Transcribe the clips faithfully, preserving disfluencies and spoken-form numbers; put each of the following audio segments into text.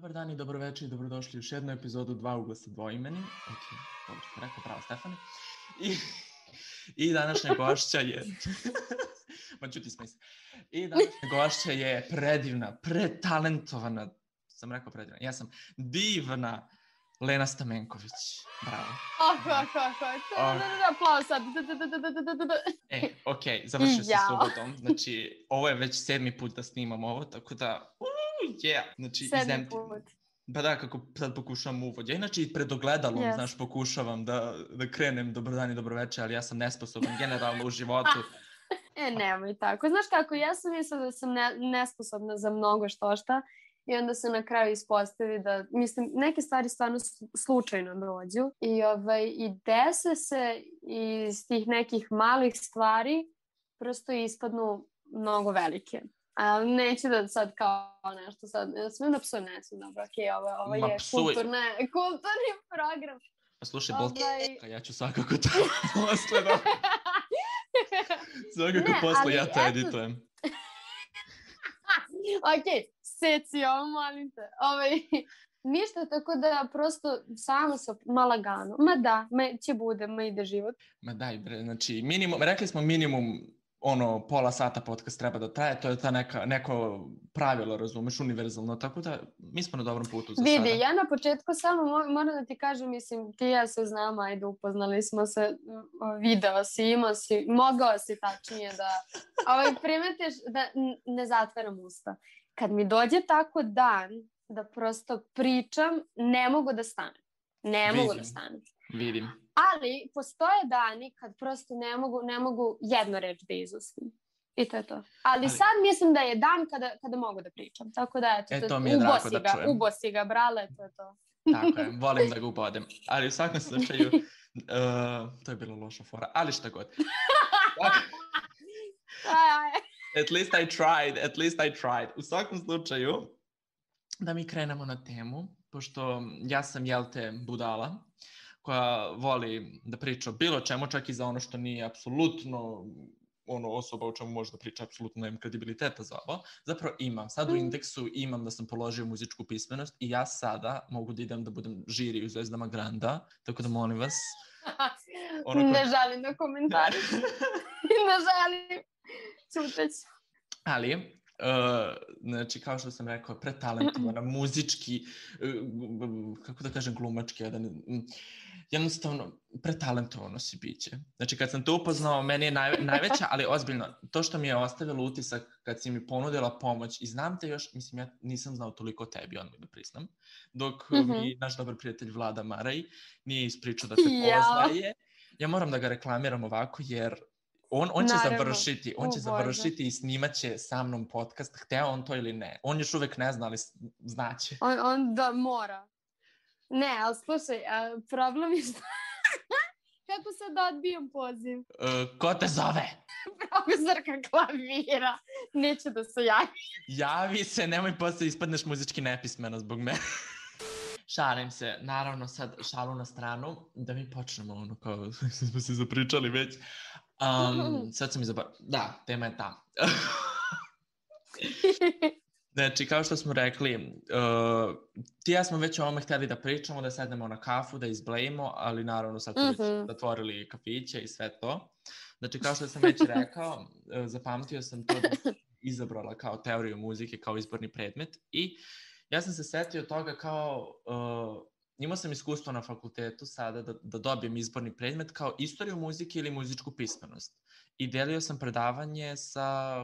Dobar dan i dobroveče i dobrodošli u još jednu epizodu Dva ugla sa dvoimeni. Ok, dobro ste rekao, pravo Stefane. I, i današnja gošća je... Ma čuti smo se. I današnja gošća je predivna, pretalentovana, sam rekao predivna, ja sam divna Lena Stamenković. Bravo. Oko, oko, oko. Aplauz sad. E, ok, završio se subotom. Znači, ovo je već sedmi put da snimam ovo, tako da... Yeah. Znači, sedmi put. Pa da, kako sad pokušavam uvod. Ja inače i pred ogledalom, yes. znaš, pokušavam da, da krenem dobar dan i dobroveče, ali ja sam nesposoban generalno u životu. E, nemoj tako. Znaš kako, ja sam mislila da sam ne, nesposobna za mnogo što šta i onda se na kraju ispostavi da, mislim, neke stvari stvarno slučajno dođu i, ovaj, i dese se iz tih nekih malih stvari prosto ispadnu mnogo velike. Ali neću da sad kao nešto sad, ne smijem da psujem, ne smijem, dobro, okej, okay, ovo, ovo je kulturne, kulturni program. Pa slušaj, ovaj... ja ću svakako to posle, da. Svakako ne, posle ja to eto... editujem. Okej, okay, seci ovo, molim te. Ovaj, ništa, tako da prosto samo se malagano. Ma da, ma će bude, ma ide život. Ma daj bre, znači minimum, rekli smo minimum ono, pola sata podcast treba da traje, to je ta neka, neko pravilo, razumeš, univerzalno, tako da mi smo na dobrom putu za Vidi, sada. Vidi, ja na početku samo moram da ti kažem, mislim, ti ja se znamo, ajde, upoznali smo se, video si, imao si, mogao si tačnije da, ovaj, primetiš da ne zatvaram usta. Kad mi dođe tako dan da prosto pričam, ne mogu da stanem. Ne Vidim. mogu da stanem. Vidim. Ali postoje dani kad prosto ne mogu, ne mogu jednu reč da izustim. I to je to. Ali, Ali sad mislim da je dan kada, kada mogu da pričam. Tako da, eto, e, to mi je drago da ga, čujem. Ubosi ga, brale, to je to. Tako je, volim da ga ubodem. Ali u svakom slučaju, uh, to je bilo loša fora, ali šta god. At least I tried, at least I tried. U svakom slučaju, da mi krenemo na temu, pošto ja sam, jel te, budala, koja voli da priča o bilo čemu, čak i za ono što nije apsolutno ono osoba o čemu može da priča, apsolutno nemam kredibiliteta za ovo. Zapravo imam. Sad u indeksu imam da sam položio muzičku pismenost i ja sada mogu da idem da budem žiri u Zvezdama Granda, tako da molim vas. Ono ko... Ne želim da komentariš. Ne želim. Čuteć. Ali... Uh, znači, kao što sam rekao, pretalentovana, muzički, uh, kako da kažem, glumački, jedan, um, jednostavno, pretalentovano si biće. Znači, kad sam to upoznao, meni je naj, najveća, ali ozbiljno, to što mi je ostavilo utisak kad si mi ponudila pomoć, i znam te još, mislim, ja nisam znao toliko o tebi, odmah da priznam, dok mm-hmm. mi naš dobar prijatelj Vlada Maraj nije ispričao da te poznaje. Ja moram da ga reklamiram ovako, jer On, on će Naravno. završiti, on će oh, završiti i snimat će sa mnom podcast, hteo on to ili ne. On još uvek ne zna, ali znaće. On, on da mora. Ne, ali slušaj, a problem je što... Kako sad odbijam poziv? Uh, ko te zove? Profesorka klavira. Neće da se javi. Javi se, nemoj posle ispadneš muzički nepismeno zbog mene. Šalim se, naravno sad šalu na stranu, da mi počnemo ono kao smo se zapričali već. Um, sad sam izabar... Da, tema je ta. Znači, kao što smo rekli, uh, ti ja smo već o ovome htjeli da pričamo, da sednemo na kafu, da izblejimo, ali naravno sad smo mm-hmm. već zatvorili kafiće i sve to. Znači, kao što sam već rekao, uh, zapamtio sam to da sam izabrala kao teoriju muzike, kao izborni predmet i ja sam se setio toga kao... Uh, imao sam iskustvo na fakultetu sada da, da dobijem izborni predmet kao istoriju muzike ili muzičku pismenost. I delio sam predavanje sa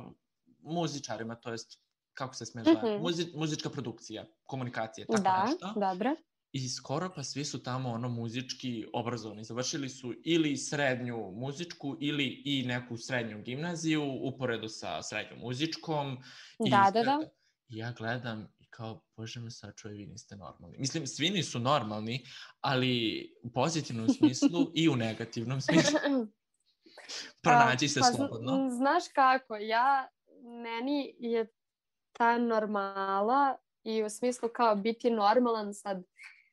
muzičarima, to jest, kako se smije zove, mm-hmm. Muzi, muzička produkcija, komunikacije, tako da, nešto. Da, dobro. I skoro pa svi su tamo ono muzički obrazovani. Završili su ili srednju muzičku ili i neku srednju gimnaziju, uporedo sa srednjom muzičkom. Da, I da, da. I ja gledam kao, bože me sačuje, vi niste normalni. Mislim, svi nisu normalni, ali u pozitivnom smislu i u negativnom smislu. Pronađi se pa, slobodno. Znaš kako, ja, meni je ta normala i u smislu kao biti normalan sad,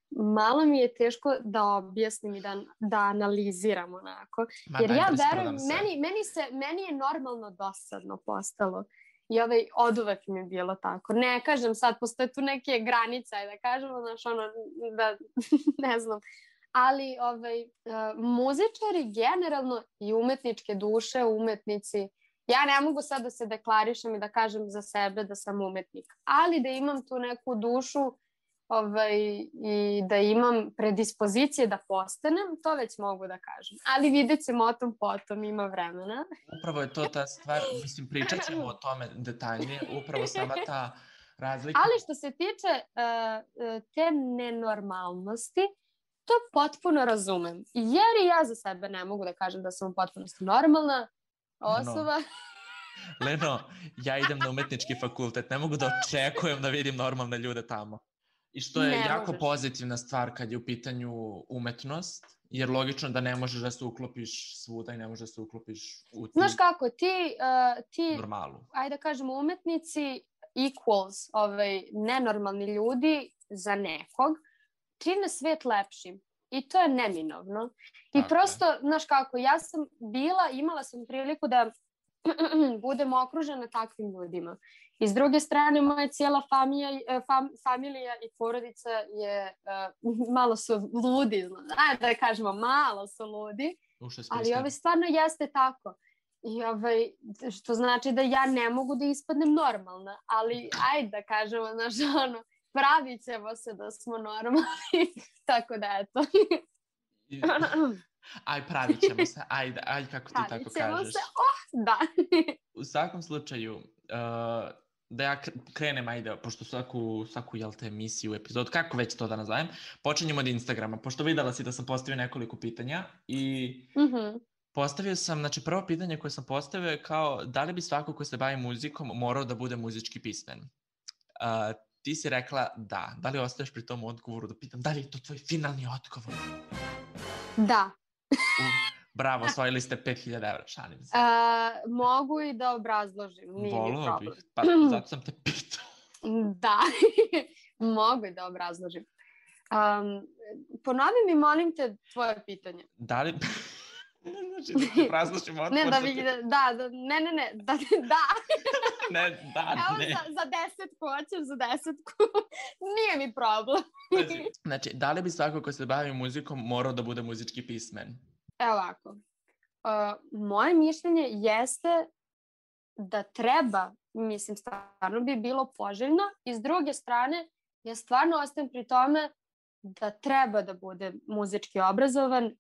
malo mi je teško da objasnim i da, da analiziram onako. Ma, jer ja verujem, meni, meni, se, meni je normalno dosadno postalo. I ovaj, od uvek mi je bilo tako. Ne kažem sad, postoje tu neke granice, da kažemo, znaš, ono, da, ne znam. Ali ovaj, uh, muzičari generalno i umetničke duše, umetnici, ja ne mogu sad da se deklarišem i da kažem za sebe da sam umetnik, ali da imam tu neku dušu ovaj, i da imam predispozicije da postanem, to već mogu da kažem. Ali vidjet ćemo o tom potom, ima vremena. Upravo je to ta stvar, mislim, pričat ćemo o tome detaljnije, upravo sama ta razlika. Ali što se tiče uh, te nenormalnosti, to potpuno razumem. Jer i ja za sebe ne mogu da kažem da sam u potpunosti normalna osoba. No. Leno, ja idem na umetnički fakultet, ne mogu da očekujem da vidim normalne ljude tamo. I što je ne jako možeš. Pozitivna stvar kad je u pitanju umetnost, jer logično da ne možeš da se uklopiš svuda i ne možeš da se uklopiš u ti... Znaš kako, ti, uh, ti normalu. Ajde da kažemo, umetnici equals, ovaj, nenormalni ljudi za nekog, čine svijet lepšim. I to je neminovno. I okay. Prosto, znaš kako, ja sam bila, imala sam priliku da budem okružena takvim ljudima. I s druge strane, moja cijela familija, fam, familija i porodica je, uh, malo su ludi, ajde da kažemo, malo su ludi, ali ovaj stvarno jeste tako. I ovaj, što znači da ja ne mogu da ispadnem normalna, ali ajde da kažemo, znaš, ono, pravit ćemo se da smo normalni, tako da eto. Aj, pravit ćemo se, ajde, aj, kako ti pravit tako kažeš. Pravit ćemo se, oh, da. U svakom slučaju, uh, da ja krenem, ajde, pošto svaku, svaku jel te, emisiju, epizod, kako već to da nazovem, počinjemo od Instagrama, pošto videla si da sam postavio nekoliko pitanja i mm-hmm. postavio sam, znači prvo pitanje koje sam postavio je kao, da li bi svako ko se bavi muzikom morao da bude muzički pismen? Uh, ti si rekla da. Da li ostaješ pri tom odgovoru da pitam, da li je to tvoj finalni odgovor? Da. U, bravo, osvojili ste pet hiljada evra, šalim se. Uh, mogu i da obrazložim, nije mi problem. Bih, pa zato sam te pitao. Da, mogu i da obrazložim. Um, ponovi mi, molim te, tvoje pitanje. Da li... Znači da ti obrazložim odgovor. Ne, da, vi, da, da, ne, ne, ne, da, da. Ne, da, evo, ne. Za, za desetku, hoćeš za desetku. Nije mi problem. Znači, znači, da li bi svako ko se bavi muzikom morao da bude muzički pismen? Evo ovako. Uh, moje mišljenje jeste da treba, mislim, stvarno bi bilo poželjno, i s druge strane, ja stvarno ostajem pri tome da treba da bude muzički obrazovan, uh,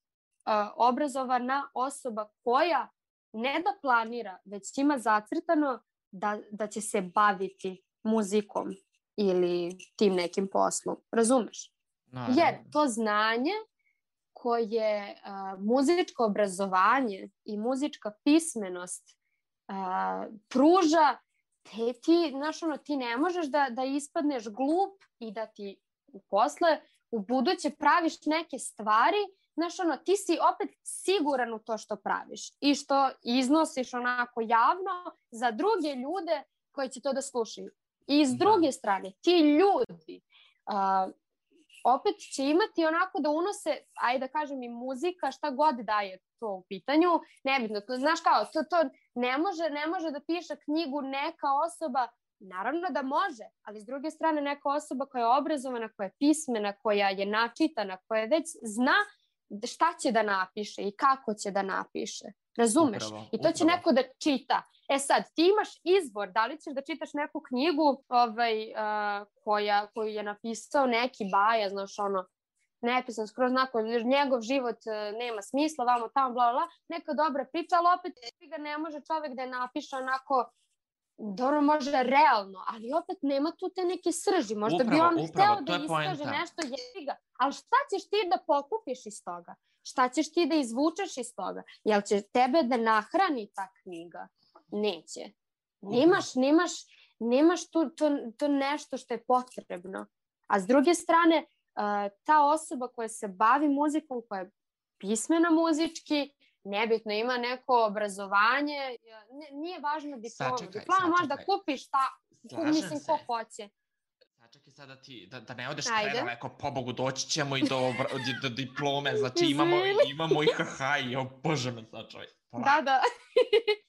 obrazovana osoba koja ne da planira, već ima zacrtano da, da će se baviti muzikom ili tim nekim poslom. Razumeš? Naravno. Jer to znanje koje uh, muzičko obrazovanje i muzička pismenost uh, pruža, te ti, znaš, ono, ti ne možeš da, da ispadneš glup i da ti posle u buduće praviš neke stvari, znaš, ono, ti si opet siguran u to što praviš i što iznosiš onako javno za druge ljude koji će to da slušaju. I s druge strane, ti ljudi uh, opet će imati onako da unose, ajde da kažem, i muzika, šta god daje to u pitanju, nebitno, to, znaš kao, to, to ne može, ne može da piše knjigu neka osoba, naravno da može, ali s druge strane neka osoba koja je obrazovana, koja je pismena, koja je načitana, koja već zna šta će da napiše i kako će da napiše. Razumeš? Upravo, I to će upravo. neko da čita. E sad, ti imaš izbor, da li ćeš da čitaš neku knjigu ovaj, uh, koja, koju je napisao neki baja, znaš, ono, nepisan skroz onako, njegov život uh, nema smisla, vamo tamo, bla, bla, neka dobra priča, ali opet ga ne može čovek da je napiše onako, dobro, može realno, ali opet nema tu te neke srži. Možda upravo, bi on upravo, hteo da iskaže poenta. nešto jeziga. Ali šta ćeš ti da pokupiš iz toga? Šta ćeš ti da izvučeš iz toga? Jel će tebe da nahrani ta knjiga? Neće. Nemaš, nemaš, nemaš tu, to, to nešto što je potrebno. A s druge strane, uh, ta osoba koja se bavi muzikom, koja je pismena muzički, nebitno, ima neko obrazovanje, nije važno diploma. Diploma možeš da kupiš, šta, mislim, ko hoće. Sačekaj sada ti, da, da ne odeš Ajde. predaleko, pobogu, doći ćemo i do, do, do diplome, znači imamo, imamo i haha i o bože me sačuvaj. Da, da.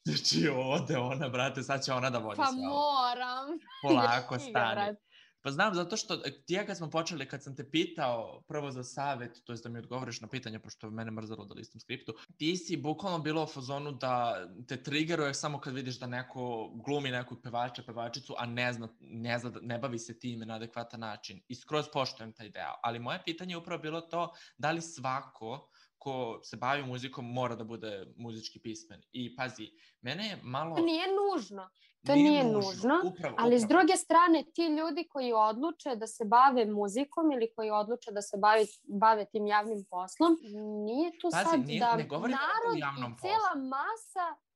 Znači ode ona, brate, sad će ona da vodi pa sve ovo. moram. Polako stani. Pa znam, zato što ti kad smo počeli, kad sam te pitao prvo za savjet, to je da mi odgovoriš na pitanje, pošto mene mrzalo da listam skriptu, ti si bukvalno bilo u fazonu da te triggeruje samo kad vidiš da neko glumi nekog pevača, pevačicu, a ne zna, ne zna, ne bavi se time na adekvatan način. I skroz poštujem taj deo. Ali moje pitanje je upravo bilo to, da li svako ko se bavi muzikom mora da bude muzički pismen. I pazi, mene je malo... To nije nužno. To nije, nije nužno, nužno upravo, ali upravo. S druge strane, ti ljudi koji odluče da se bave muzikom ili koji odluče da se bave, bave tim javnim poslom, nije tu pazi, sad nije, da ne narod javnom i cijela poslu. Masa...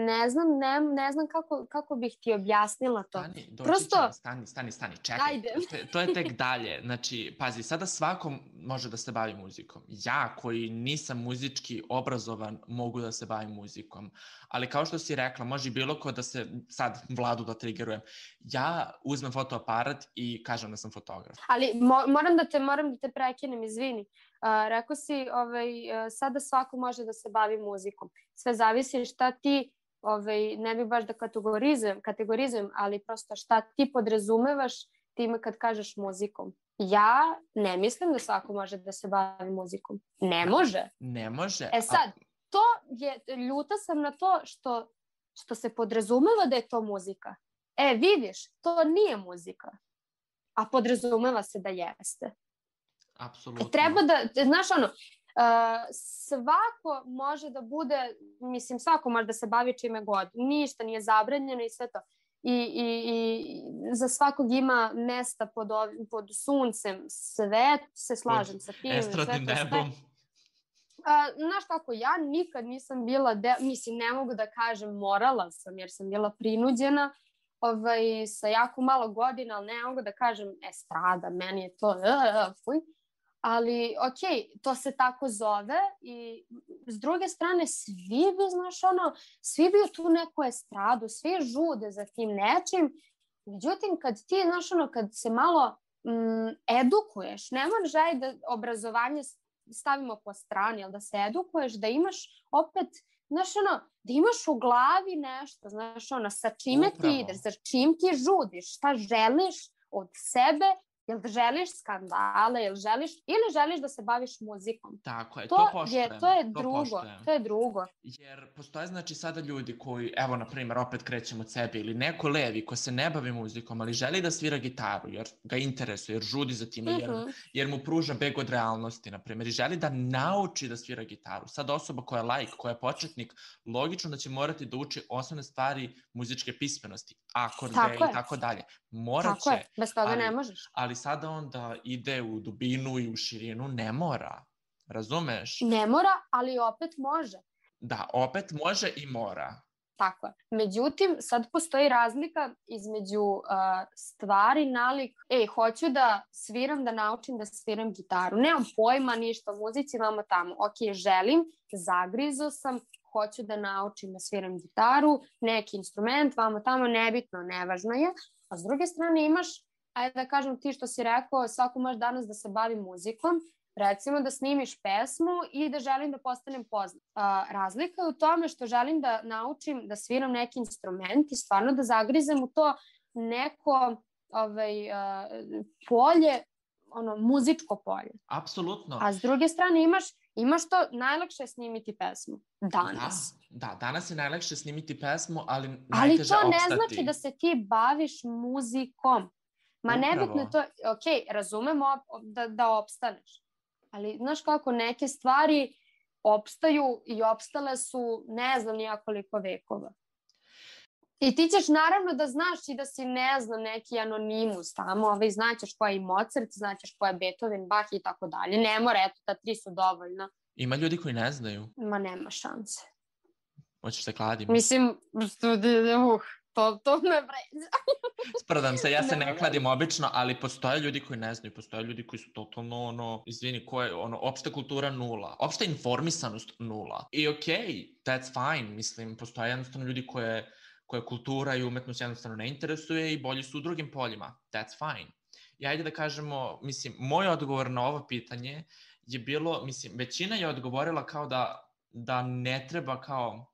Ne znam, ne, ne znam kako, kako bih ti objasnila to. Stani, doći Prosto... ćemo, stani, stani, stani, čekaj. Ajde. To, to je tek dalje. Znači, pazi, sada svako može da se bavi muzikom. Ja, koji nisam muzički obrazovan, mogu da se bavim muzikom. Ali kao što si rekla, može bilo ko da se, sad Vladu da triggerujem, ja uzmem fotoaparat i kažem da sam fotograf. Ali mo, moram, da te, moram da te prekinem, izvini. Uh, rekao si, ovaj, uh, sada svako može da se bavi muzikom. Sve zavisi šta ti, ovaj, ne bih baš da kategorizujem, kategorizujem, ali prosto šta ti podrazumevaš time kad kažeš muzikom. Ja ne mislim da svako može da se bavi muzikom. Ne može. Ne može. E sad, to je, ljuta sam na to što, što se podrazumeva da je to muzika. E, vidiš, to nije muzika. A podrazumeva se da jeste. Apsolutno. Treba da, znaš ono, uh, svako može da bude, mislim svako može da se bavi čime god, ništa nije zabranjeno i sve to. I, i, i za svakog ima mesta pod, ovim, pod suncem, sve se slažem pod sa tim. Estradnim nebom. Uh, znaš kako, ja nikad nisam bila, de, mislim ne mogu da kažem morala sam jer sam bila prinuđena ovaj, sa jako malo godina, ali ne mogu da kažem estrada, meni je to uh, fuj. Ali, ok, to se tako zove i s druge strane svi bi, znaš, ono, svi bi u tu neku estradu, svi žude za tim nečim. Međutim, kad ti, znaš, ono, kad se malo mm, edukuješ, ne možeš da obrazovanje stavimo po strani, ali da se edukuješ, da imaš opet, znaš, ono, da imaš u glavi nešto, znaš, ono, sa čime Upravo. ti ideš, za čim ti žudiš, šta želiš od sebe. Jel želiš skandale, jel želiš, ili želiš da se baviš muzikom? Tako je, to, to poštujem. Je, to je to drugo, poštujem. to je drugo. Jer postoje znači sada ljudi koji, evo na primjer, opet krećemo od sebe, ili neko levi ko se ne bavi muzikom, ali želi da svira gitaru, jer ga interesuje, jer žudi za time, jer, uh-huh. jer mu pruža beg od realnosti, na primjer, i želi da nauči da svira gitaru. Sad osoba koja je laik, koja je početnik, logično da će morati da uči osnovne stvari muzičke pismenosti, akorde i tako dalje. Morat tako će. Je. Bez toga ali, ne možeš. Ali sada on da ide u dubinu i u širinu, ne mora. Razumeš? Ne mora, ali opet može. Da, opet može i mora. Tako je. Međutim, sad postoji razlika između uh, stvari, nalik. Ej, hoću da sviram, da naučim da sviram gitaru. Nemam pojma ništa o muzici, vamo tamo. Ok, želim, zagrizo sam, hoću da naučim da sviram gitaru, neki instrument, vamo tamo, nebitno, nevažno je. A s druge strane imaš, ajde da kažem ti što si rekao, svako može danas da se bavi muzikom, recimo da snimiš pesmu i da želim da postanem poznat. Uh, razlika je u tome što želim da naučim da sviram neki instrument i stvarno da zagrizem u to neko ovaj, uh, polje, ono, muzičko polje. Apsolutno. A s druge strane imaš, imaš to, najlakše je snimiti pesmu. Danas. Da, da, danas je najlakše snimiti pesmu, ali najteže ali opstati. Ali to ne znači da se ti baviš muzikom. Ma Upravo. Nebitno je to, ok, razumemo da, da opstaneš. Ali znaš kako, neke stvari opstaju i opstale su ne znam nijakoliko vekova. I ti ćeš naravno da znaš i da si, ne znam, neki anonimus tamo, ovaj, znaćeš ko je i Mozart, znaćeš ko je Beethoven, Bach i tako dalje. Ne mora, eto, ta tri su dovoljna. Ima ljudi koji ne znaju. Ma nema šanse. Hoćeš se kladim? Mislim, uh, to, to me vređa. Sprdam se, ja se ne, ne kladim obično, ali postoje ljudi koji ne znaju, postoje ljudi koji su totalno, ono, izvini, ko je, ono, opšta kultura nula, opšta informisanost nula. I okej, okay, that's fine, mislim, postoje jednostavno ljudi koje, koje kultura i umetnost jednostavno ne interesuje i bolji su u drugim poljima, that's fine. I ajde da kažemo, mislim, moj odgovor na ovo pitanje je bilo, mislim, većina je odgovorila kao da, da ne treba kao,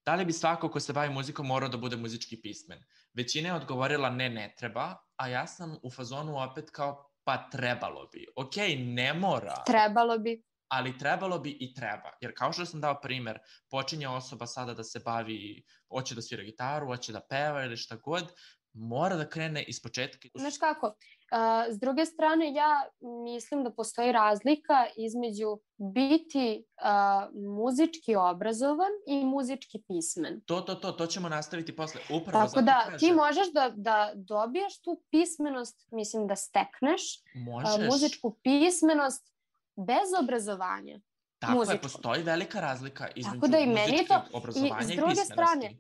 da li bi svako ko se bavi muzikom morao da bude muzički pismen. Većina je odgovorila ne, ne treba, a ja sam u fazonu opet kao, pa trebalo bi. Ok, ne mora. Trebalo bi. Ali trebalo bi i treba. Jer kao što sam dao primer, počinje osoba sada da se bavi, hoće da svira gitaru, hoće da peva ili šta god, mora da krene iz početka. Znaš kako, uh, s druge strane ja mislim da postoji razlika između biti uh, muzički obrazovan i muzički pismen. To, to, to, to ćemo nastaviti posle. Upravo tako da kažem. Ti možeš da, da dobijaš tu pismenost, mislim da stekneš uh, muzičku pismenost bez obrazovanja. Tako muzičku. je, postoji velika razlika između da i muzičkog to, obrazovanja i, i s druge pismenosti. Strane,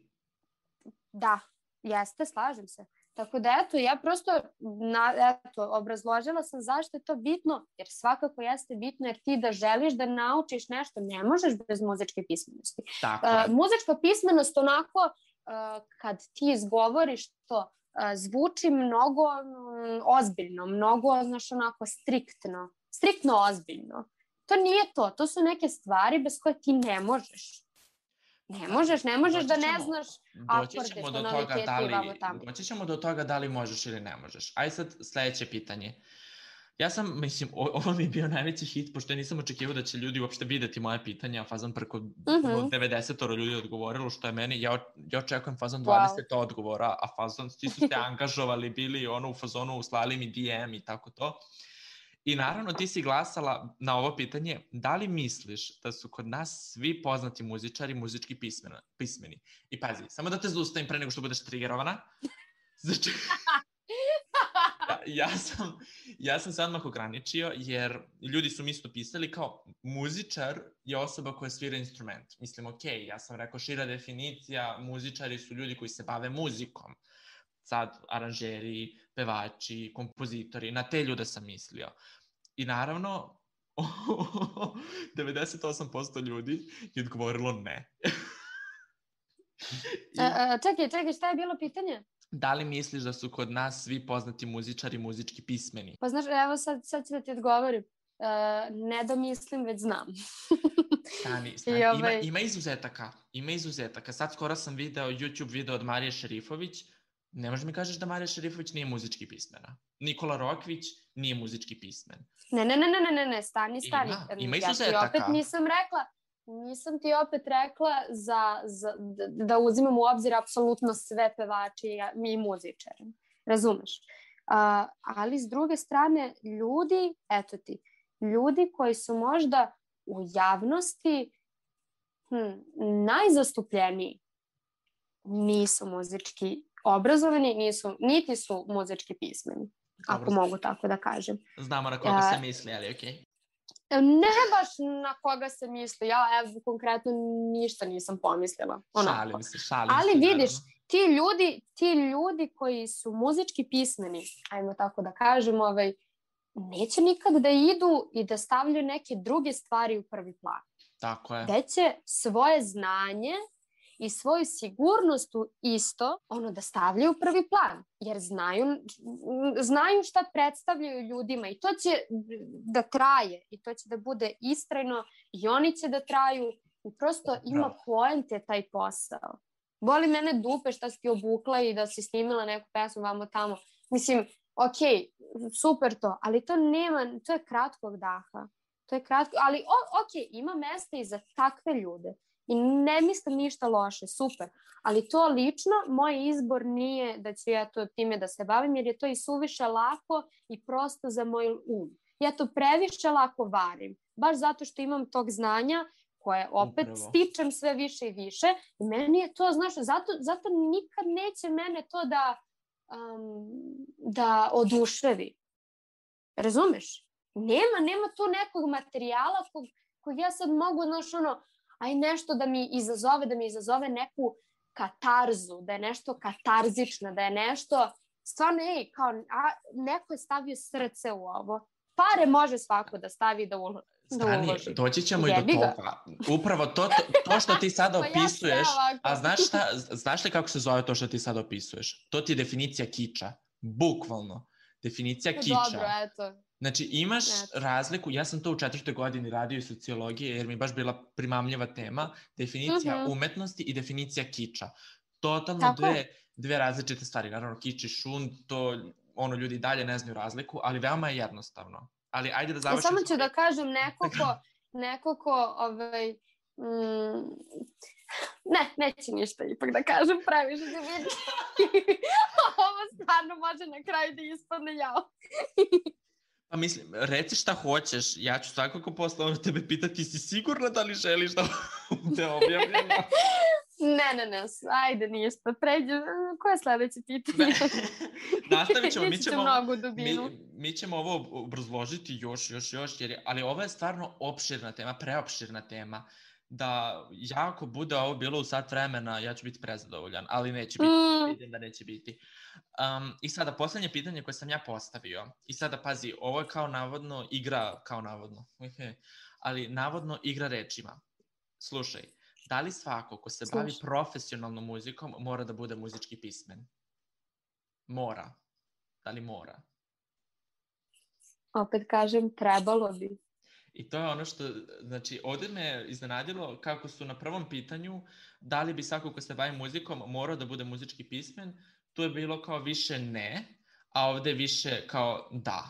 da, jeste, slažem se. Tako da eto, ja prosto na, eto, obrazložila sam zašto je to bitno, jer svakako jeste bitno, jer ti da želiš da naučiš nešto, ne možeš bez muzičke pismenosti. Tako uh, je. Muzička pismenost onako, uh, kad ti izgovoriš to, uh, zvuči mnogo um, ozbiljno, mnogo, znaš, onako striktno, striktno ozbiljno. To nije to, to su neke stvari bez koje ti ne možeš. Ne možeš, ne možeš da ne znaš akorde, tonalitete i vamo tamo. Doći ćemo do toga da li možeš ili ne možeš. Ajde sad sledeće pitanje. Ja sam, mislim, ovo mi je bio najveći hit, pošto ja nisam očekivao da će ljudi uopšte videti moje pitanja, a fazon preko uh-huh. devedeset ljudi odgovorilo, što je meni, ja, ja očekujem fazon dvadeset wow. odgovora, a fazon, ti su se angažovali, bili ono u fazonu, slali mi D M i tako to. I naravno ti si glasala na ovo pitanje, da li misliš da su kod nas svi poznati muzičari muzički pismeni? pismeni? I pazi, samo da te zaustavim pre nego što budeš triggerovana. Znači, ja, ja, sam, ja sam se odmah ograničio jer ljudi su mi isto pisali kao muzičar je osoba koja svira instrument. Mislim, ok, ja sam rekao šira definicija, muzičari su ljudi koji se bave muzikom. Sad aranžeri, pevači, kompozitori, na te ljude sam mislio. I naravno, devedeset osam posto ljudi je odgovorilo ne. I... a, a, čekaj, čekaj, šta je bilo pitanje? Da li misliš da su kod nas svi poznati muzičari muzički pismeni? Pa znaš, evo sad, sad ću da ti odgovorim. Uh, ne da mislim, već znam. Stani, stani. Ovaj... Ima, ima izuzetaka. Ima izuzetaka. Sad skoro sam video YouTube video od Marije Šerifović. Ne možeš mi kažeš da Marija Šerifović nije muzički pismena. Nikola Rokvić nije muzički pismen. Ne, ne, ne, ne, ne, ne, stani, stani. Ima, ima ja izuzetaka. Ti opet nisam rekla, nisam ti opet rekla za, za, da uzimam u obzir apsolutno sve pevači i muzičare. Razumeš? Uh, ali s druge strane, ljudi, eto ti, ljudi koji su možda u javnosti hm, najzastupljeniji nisu muzički obrazovani, nisu, niti su muzički pismeni, ako Dobro. mogu tako da kažem. Znamo na koga uh, se misli, ali okej. Okay. Ne baš na koga se misli, ja evo konkretno ništa nisam pomislila. Onako. Šalim se, šalim ali se. Ali vidiš, ti ljudi, ti ljudi koji su muzički pismeni, ajmo tako da kažem, ovaj, neće nikad da idu i da stavljaju neke druge stvari u prvi plan. Tako je. Već će svoje znanje i svoju sigurnost u isto ono da stavljaju u prvi plan, jer znaju, znaju šta predstavljaju ljudima i to će da traje i to će da bude istrajno i oni će da traju i prosto ima poente taj posao. Boli mene dupe šta si ti obukla i da si snimila neku pesmu vamo tamo. Mislim, ok, super to, ali to nema, to je kratkog daha. To je kratko, ali o, ok, ima mesta i za takve ljude. I ne mislim ništa loše, super. Ali to lično, moj izbor nije da ću ja to time da se bavim, jer je to i suviše lako i prosto za moj um. Ja to previše lako varim, baš zato što imam tog znanja koje opet Upravo. stičem sve više i više. I meni je to, znaš, zato, zato nikad neće mene to da, um, da oduševi. Razumeš? Nema, nema tu nekog materijala kog, kog ja sad mogu, znaš, ono, aj nešto da mi izazove, da mi izazove neku katarzu, da je nešto katarzično, da je nešto, stvarno, ej, kao, a, neko je stavio srce u ovo. Pare može svako da stavi da uloži. Stani, doći ćemo i do toga. Upravo to, to, to što ti sada opisuješ, a znaš, šta, znaš li kako se zove to što ti sada opisuješ? To ti je definicija kiča, bukvalno. definicija to kiča. Dobro, eto. Znači, imaš eto. razliku, ja sam to u četvrtoj godini radio iz sociologije, jer mi je baš bila primamljiva tema, definicija Mm-hmm. umetnosti i definicija kiča. Totalno dve, dve različite stvari. Naravno, kič i šund, to ono ljudi i dalje ne znaju razliku, ali veoma je jednostavno. Ali ajde da završim... Samo ću da kažem neko ko, neko ko ovaj, mm, ne, neće ništa ipak da kažem, previše se vidi. Ovo stvarno može na kraju da ispadne jao. Pa mislim, reci šta hoćeš, ja ću svakako posle ono tebe pitati, si sigurna da li želiš da te objavljamo? Ne, ne, ne, ajde ništa, pređe, koje je sledeće pitanje? Nastavit ćemo, mi ćemo, mnogo dubinu. mi, mi ćemo ovo obrazložiti još, još, još, jer je, ali ovo je stvarno opširna tema, preopširna tema, da jako bude ovo bilo u sat vremena, ja ću biti prezadovoljan, ali neće biti, mm. vidim da neće biti. Um, I sada, poslednje pitanje koje sam ja postavio, i sada pazi, ovo je kao navodno igra, kao navodno, ali navodno igra rečima. Slušaj, da li svako ko se Slušaj. bavi profesionalnom muzikom mora da bude muzički pismen? Mora. Da li mora? Opet kažem, trebalo bi. I to je ono što, znači, ovdje me iznenadilo kako su na prvom pitanju da li bi svako ko se bavi muzikom morao da bude muzički pismen, tu je bilo kao više ne, a ovdje više kao da.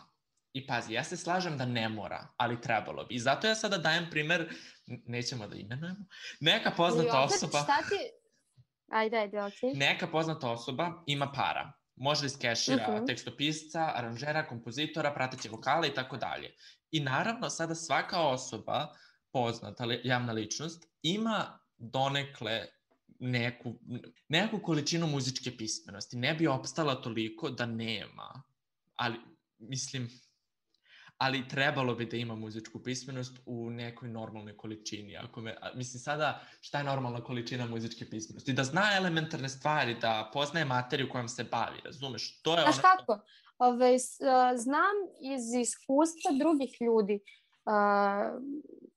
I pazi, ja se slažem da ne mora, ali trebalo bi. I zato ja sada dajem primer, nećemo da imenujemo, neka poznata opet, osoba... Šta ti... Ajde, ajde, okej. Okay. Neka poznata osoba ima para. Može iz kešira, uh-huh. tekstopisca, aranžera, kompozitora, prateće vokale i tako dalje. I naravno, sada svaka osoba, poznata javna ličnost, ima donekle neku, neku količinu muzičke pismenosti. Ne bi opstala toliko da nema. Ali, mislim... ali trebalo bi da ima muzičku pismenost u nekoj normalnoj količini. Ako me, mislim sada, šta je normalna količina muzičke pismenosti? Da zna elementarne stvari, da poznaje materiju kojom se bavi, razumeš? To je Znaš ono... kako? Ove, znam iz iskustva drugih ljudi. Uh,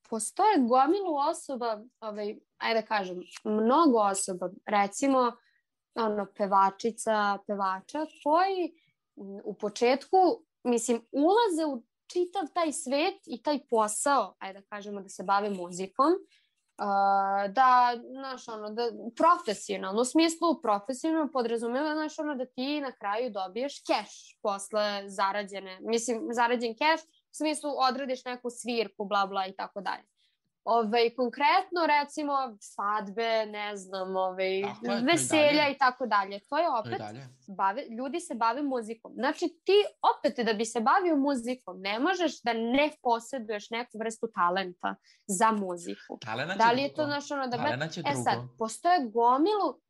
postoje gomilu osoba, ove, ajde da kažem, mnogo osoba, recimo ono, pevačica, pevača, koji u početku, mislim, ulaze u čitav taj svet i taj posao, ajde da kažemo da se bave muzikom, uh, da, znaš, ono, da, profesionalno, u smislu profesionalno podrazumeva, znaš, ono, da ti na kraju dobiješ keš posle zarađene, mislim, zarađen keš, u smislu odradiš neku svirku, bla, bla i tako dalje. Ove, konkretno, recimo, svadbe, ne znam, ove, tako, veselja i tako dalje. To je opet, to je bave, ljudi se bave muzikom. Znači, ti opet da bi se bavio muzikom, ne možeš da ne posjeduješ neku vrstu talenta za muziku. Talena će da li je drugo. to, znaš, ono, da Talena će e drugo. sad, postoje gomilu,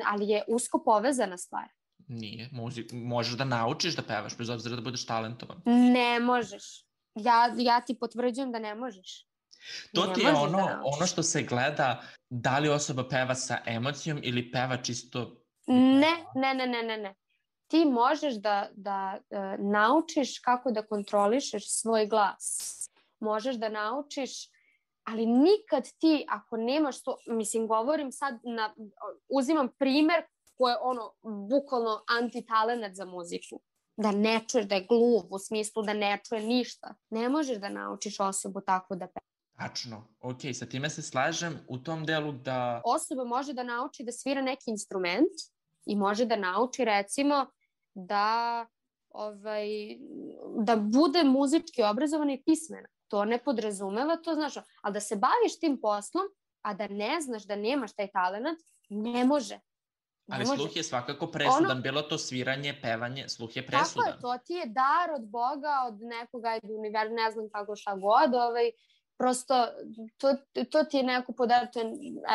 ali je usko povezana stvar. Nije. Muzik, možeš da naučiš da pevaš, bez obzira da budeš talentovan. Ne možeš. Ja, ja ti potvrđujem da ne možeš. To ti je ono, ono što se gleda, da li osoba peva sa emocijom ili peva čisto... Ne, ne, ne, ne, ne, ne. Ti možeš da, da uh, naučiš kako da kontrolišeš svoj glas. Možeš da naučiš, ali nikad ti, ako nemaš to, mislim, govorim sad, na, uzimam primer koji je ono, bukvalno antitalenat za muziku. Da ne čuješ, da je gluv, u smislu da ne čuje ništa. Ne možeš da naučiš osobu tako da peva. Tačno, ok, sa time se slažem u tom delu da... Osoba može da nauči da svira neki instrument i može da nauči, recimo, da, ovaj, da bude muzički obrazovana i pismena. To ne podrazumeva, to znaš, ali da se baviš tim poslom, a da ne znaš da nemaš taj talent, ne može. Ne ali može. Sluh je svakako presudan, ono... bilo to sviranje, pevanje, sluh je presudan. Tako je, to ti je dar od Boga, od nekoga, univerzuma, ne znam kako šta god, ovaj, prosto, to, to ti je neko podar, to je,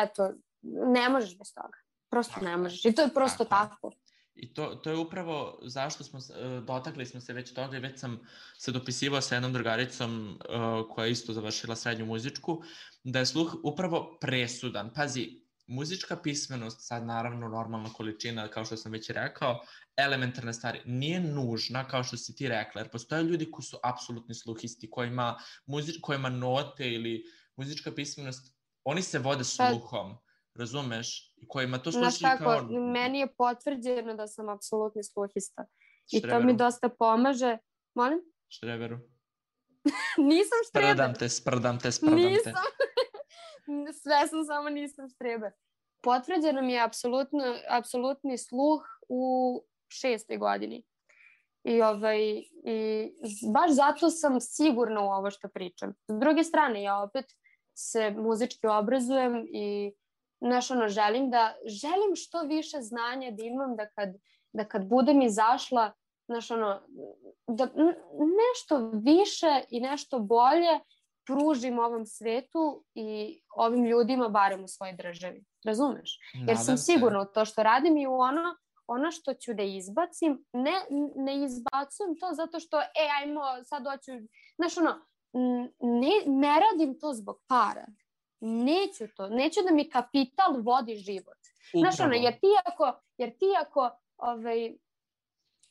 eto, ne možeš bez toga. Prosto tako ne možeš. I to je prosto tako. tako. I to, to je upravo zašto smo, dotakli smo se već toga i već sam se dopisivao sa jednom drugaricom uh, koja je isto završila srednju muzičku, da je sluh upravo presudan. Pazi, muzička pismenost, sad naravno normalna količina, kao što sam već rekao, elementarne stvari, nije nužna kao što si ti rekla, jer postoje ljudi koji su apsolutni sluhisti, kojima, muzič, kojima note ili muzička pismenost, oni se vode sluhom, razumeš? I kojima to sluši kao... kao... Meni je potvrđeno da sam apsolutni sluhista. I to mi dosta pomaže. Molim? Štreberu. Nisam štreber. Sprdam te, sprdam te, sprdam te. Nisam. Sve sam, samo nisam štreber. Potvrđeno mi je apsolutno, apsolutni sluh u šestoj godini. I, ovaj, i baš zato sam sigurna u ovo što pričam. S druge strane, ja opet se muzički obrazujem i znaš, ono, želim da, želim što više znanja da imam da kad, da kad budem izašla, znaš, ono, da nešto više i nešto bolje pružim ovom svetu i ovim ljudima, barem u svojoj državi. Razumeš? Jer sam sigurna u to što radim i u ono, ono što ću da izbacim, ne, ne izbacujem to zato što, e, ajmo, sad hoću, znaš, ono, ne, ne radim to zbog para. Neću to. Neću da mi kapital vodi život. Upravo. Znaš, ono, jer ti ako, jer ti ako ovaj,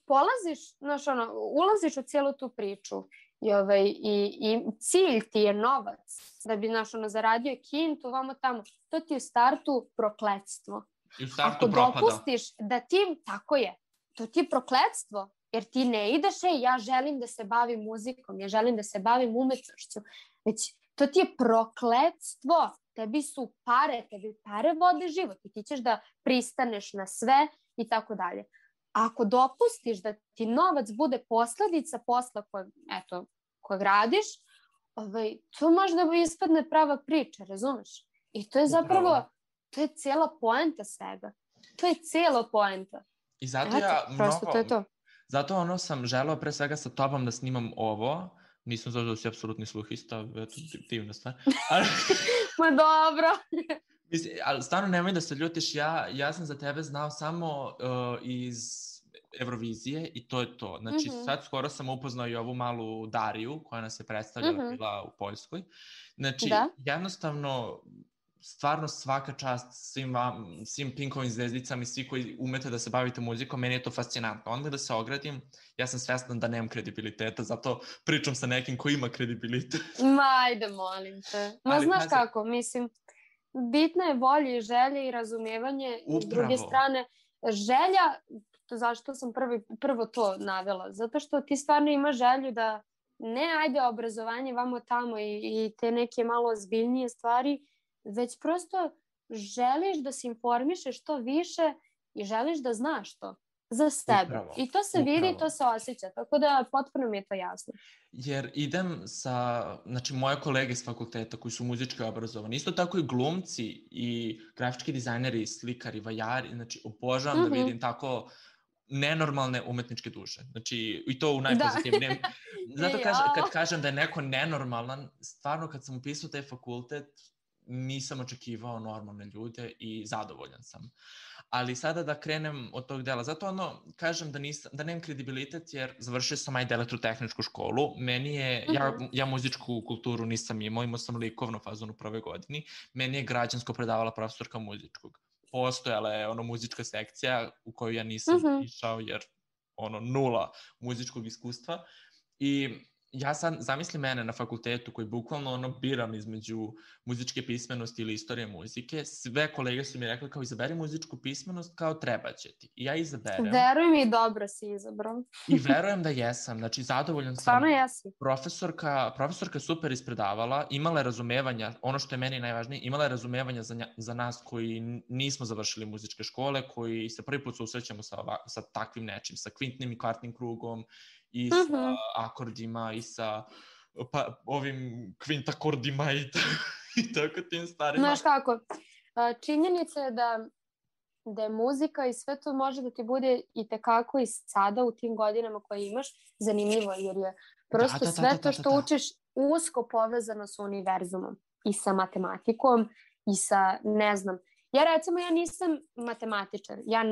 polaziš, znaš, ono, ulaziš u cijelu tu priču i, ovaj, i, i cilj ti je novac da bi, znaš, ono, zaradio kintu, vamo tamo, to ti je u startu prokletstvo. I u startu ako propada. Dopustiš da ti, tako je, to ti je prokletstvo. Jer ti ne ideš, e, ja želim da se bavim muzikom, ja želim da se bavim umetnošću. Već to ti je prokletstvo. Tebi su pare, tebi pare vode život i ti ćeš da pristaneš na sve i tako dalje. Ako dopustiš da ti novac bude posledica posla kojeg, eto, kojeg radiš, ovaj, to možda bi ispadne prava priča, razumeš? I to je zapravo, to je cijela poenta svega. To je cijela poenta. I zato eto, ja prosto mnogo... to je to. Zato ono sam želeo pre svega sa tobom da snimam ovo. Nisam zato da si apsolutni sluhista, eto, divna stvar. Ali... Ma dobro. Mislim, ali stvarno nemoj da se ljutiš, ja, ja sam za tebe znao samo uh, iz Eurovizije i to je to. Znači, mm-hmm. sad skoro sam upoznao i ovu malu Dariju koja nas je predstavljala, mm-hmm. bila u Poljskoj. Znači, da? jednostavno... stvarno svaka čast svim, vam, svim Pinkovim zvezdicama i svi koji umete da se bavite muzikom, meni je to fascinantno. Onda da se ogradim, ja sam svesna da nemam kredibiliteta, zato pričam sa nekim ko ima kredibilitet. Ma, ajde, molim te. Ma, ali, znaš pazi... kako, mislim, bitna je volja i želja i razumevanje. Upravo. S druge strane, želja, zašto sam prvi, prvo to navela? Zato što ti stvarno imaš želju da ne ajde obrazovanje vamo tamo i, i te neke malo ozbiljnije stvari, već prosto želiš da se informišeš što više i želiš da znaš to za sebe. Upravo, I to se upravo. vidi i to se osjeća, tako da potpuno mi je to jasno. Jer idem sa, znači moje kolege s fakulteta koji su muzički obrazovani, isto tako i glumci i grafički dizajneri, slikari, vajari, znači obožavam mm-hmm. da vidim tako nenormalne umetničke duše. Znači, i to u najpozitivnijem. Da. Zato kaž, kad kažem da je neko nenormalan, stvarno kad sam upisao taj fakultet, nisam očekivao normalne ljude i zadovoljan sam. Ali sada da krenem od tog dela. Zato ono, kažem da, nisam, da nemam kredibilitet jer završio sam ajde elektrotehničku školu. Meni je, uh-huh. ja, ja muzičku kulturu nisam imao, imao sam likovnu fazonu prve godini. Meni je građansko predavala profesorka muzičkog. Postojala je ono muzička sekcija u koju ja nisam uh-huh. išao jer ono nula muzičkog iskustva. I ja sad zamislim mene na fakultetu koji bukvalno ono biram između muzičke pismenosti ili istorije muzike. Sve kolege su mi rekli kao izaberi muzičku pismenost kao treba će ti. I ja izaberem. Veruj mi, dobro si izabrao. I verujem da jesam. Znači zadovoljan sam. Stvarno jesi. Profesorka, profesorka super ispredavala, imala je razumevanja, ono što je meni najvažnije, imala je razumevanja za, nja, za nas koji nismo završili muzičke škole, koji se prvi put susrećemo sa, sa takvim nečim, sa kvintnim i kvartnim krugom, i sa uh-huh. akordima i sa pa, ovim kvintakordima i, ta, i tako tim starima. Znaš kako, činjenica je da, da je muzika i sve to može da ti bude i tekako i sada u tim godinama koje imaš zanimljivo, jer je prosto da, da, sve da, da, to što da, da, da. učiš usko povezano sa univerzumom i sa matematikom i sa, ne znam, ja recimo ja nisam matematičar, ja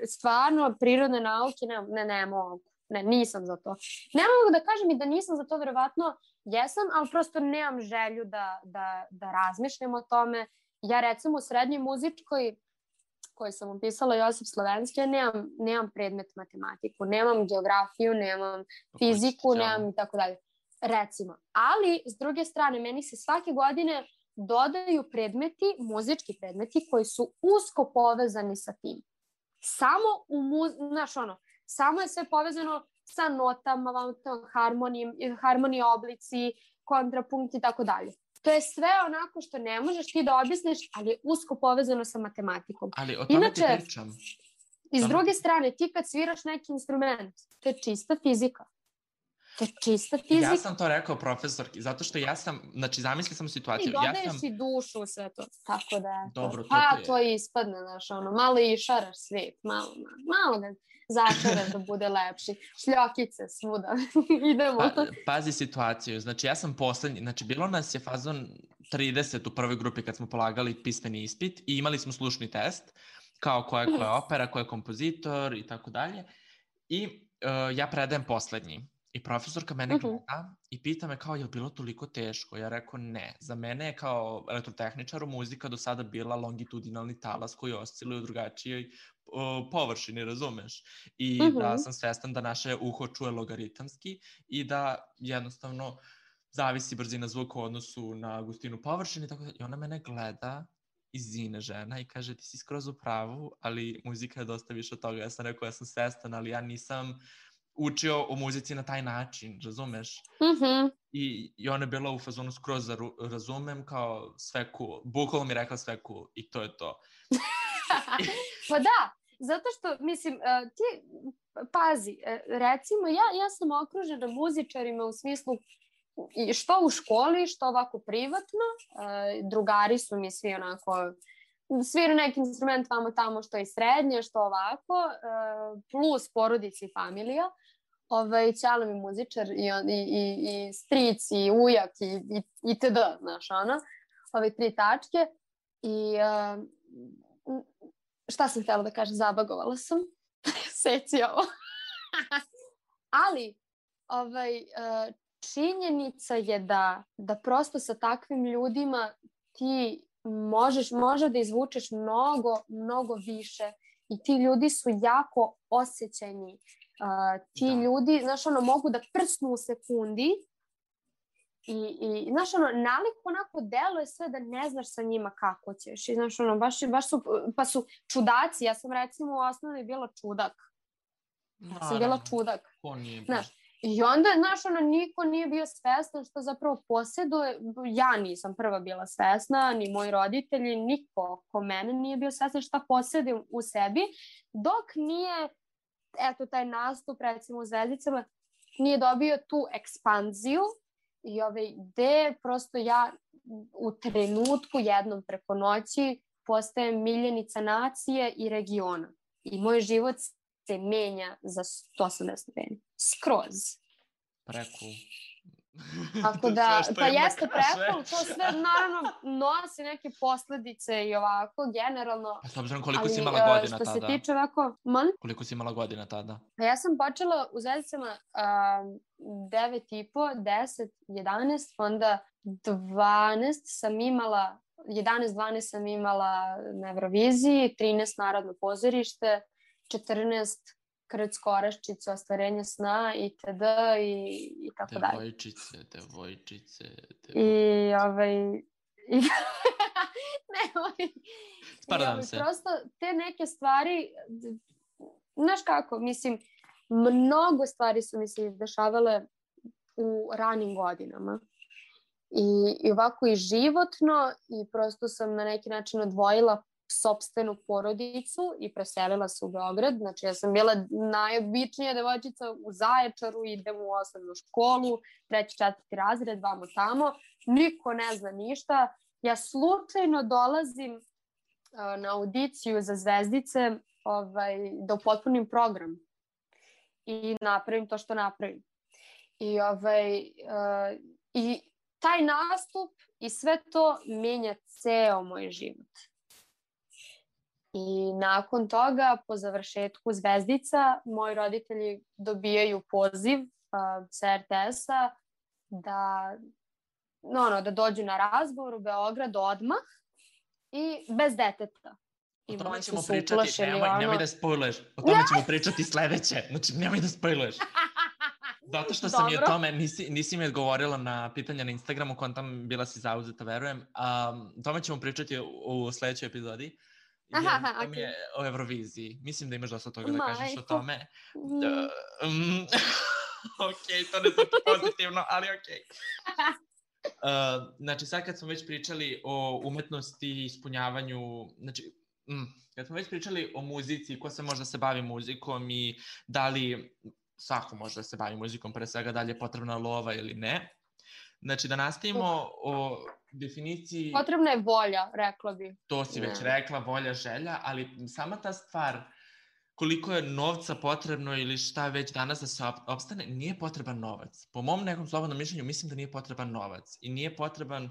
stvarno prirodne nauke ne, ne, ne mogu. Ne, nisam za to. Ne mogu da kažem i da nisam za to, verovatno jesam, ali prosto nemam želju da, da, da razmišljam o tome. Ja recimo u srednjoj muzičkoj, koju sam upisala Josip Slovenski, ja nemam, nemam predmet matematiku, nemam geografiju, nemam fiziku, nemam i tako dalje. Recimo. Ali, s druge strane, meni se svake godine dodaju predmeti, muzički predmeti, koji su usko povezani sa tim. Samo u, mu, znaš ono, samo je sve povezano sa notama, harmonije oblici, kontrapunkt i tako dalje. To je sve onako što ne možeš ti da objasniš, ali je usko povezano sa matematikom. Ali o tome Inače, ti pričam. I s druge strane, ti kad sviraš neki instrument, to je čista fizika. To je čista fizika. Ja sam to rekao profesorki, zato što ja sam, znači zamisli sam situaciju. I dodaješ ja sam... i dušu u sve to. Tako da, Dobro, to pa je. to ispadne, znaš, ono, malo i šaraš svijet, malo, malo ga začaraš da bude lepši. Šljokice svuda. Idemo. Pa, pazi situaciju, znači ja sam poslednji, znači bilo nas je fazon trideset u prvoj grupi kad smo polagali pismeni ispit i imali smo slušni test, kao koja je, koja je opera, koja je kompozitor i tako dalje. I uh, ja predajem poslednji. I profesorka mene gleda uh-huh. i pita me kao, je li bilo toliko teško? Ja rekao, ne. Za mene je kao elektrotehničaru muzika do sada bila longitudinalni talas koji osciluje u drugačijoj uh, površini, razumeš? I uh-huh. da sam svestan da naše uho čuje logaritamski i da jednostavno zavisi brzina zvuka u odnosu na gustinu površine. Tako da, i ona mene gleda iz zine žena i kaže, ti si skroz u pravu, ali muzika je dosta više od toga. Ja sam rekao, ja sam svestan, ali ja nisam učio o muzici na taj način, razumeš? Mm-hmm. I, I ona je bila u fazonu skroz razumem, kao sve cool. Bukvalno mi rekla sve cool i to je to. Pa da, zato što, mislim, ti, pazi, recimo, ja, ja sam okružena muzičarima u smislu što u školi, što ovako privatno. Drugari su mi svi onako svira neki instrument vamo tamo, što je srednje, što ovako, plus porodici i familija. Ovaj, ćalo mi muzičar i, i, i, i stric i ujak i, i, i td. Znaš, ono, ove tri tačke. I uh, šta sam htjela da kažem, zabagovala sam. Seci ovo. Ali, ovaj, uh, činjenica je da, da prosto sa takvim ljudima ti možeš, može da izvučeš mnogo, mnogo više i ti ljudi su jako osjećajni. Uh, ti da. ljudi, znaš, ono, mogu da prsnu u sekundi i, i znaš, ono, nalik onako deluje sve da ne znaš sa njima kako ćeš. I, znaš, ono, baš, baš su, pa su čudaci. Ja sam, recimo, u osnovi bila čudak. Ja sam bila čudak. Ko nije znaš, i onda, znaš, ono, niko nije bio svestan što zapravo posjeduje. Ja nisam prva bila svesna, ni moji roditelji, niko ko mene nije bio svestan šta posjedujem u sebi, dok nije, eto, taj nastup, recimo, u Zvezdicama, nije dobio tu ekspanziju i ove ideje, prosto ja u trenutku jednom preko noći postajem miljenica nacije i regiona. I moj život se menja za sto osamdeset stepeni. Skroz. Preku. Tako da, pa jeste preku, to sve naravno nosi neke posledice i ovako, generalno. Pa s obzirom koliko si imala godina tada? Što se tiče ovako, man? Koliko si imala godina tada? Pa ja sam počela u Zvezdicama um, devet i po, deset, jedanaest, onda dvanaest sam imala, jedanaest dvanaest sam imala na Euroviziji, trinaest Narodno pozorište, četrnaest Krc Koraščica, Ostvarenje sna itd. i, i tako dalje. Devojčice, devojčice, devojčice. I ovaj... I, ne, ovaj... Sparadam ovaj, se. Prosto te neke stvari, znaš kako, mislim, mnogo stvari su mi se dešavale u ranim godinama. I, i ovako i životno i prosto sam na neki način odvojila sopstvenu porodicu i preselila se u Beograd. Znači, ja sam bila najobičnija devojčica u Zaječaru, idem u osnovnu školu, treći, četvrti razred, vamo tamo. Niko ne zna ništa. Ja slučajno dolazim uh, na audiciju za Zvezdice ovaj, da upotpunim program i napravim to što napravim. I, ovaj, uh, i taj nastup i sve to menja ceo moj život. I nakon toga, po završetku Zvezdica, moji roditelji dobijaju poziv uh, sa er te esa da, no, no, da dođu na razgovor u Beograd odmah i bez deteta. O tome ćemo pričati, nemoj, ono... nemoj da spojluješ. O tome ćemo pričati sledeće. Znači, nemoj da spojluješ. Zato što sam je o tome, nisi, nisi mi odgovorila na pitanja na Instagramu, kontam bila si zauzeta, verujem. Um, o tome ćemo pričati u, u sledećoj epizodi. Aha, aha, to mi okej. je o Euroviziji. Mislim da imaš dosta toga da Majko. kažeš o tome. Mm. Da, um, ok, to ne zvuči pozitivno, ali ok. Uh, znači, sad kad smo već pričali o umetnosti i ispunjavanju, znači, mm, kad smo već pričali o muzici, ko se možda se bavi muzikom i da li svako može da se bavi muzikom, pre svega da li je potrebna lova ili ne. Znači, da nastavimo o definiciji... Potrebna je volja, rekla bi. To si već rekla, volja, želja, ali sama ta stvar, koliko je novca potrebno ili šta već danas da se opstane, nije potreban novac. Po mom nekom slobodnom mišljenju mislim da nije potreban novac i nije potreban,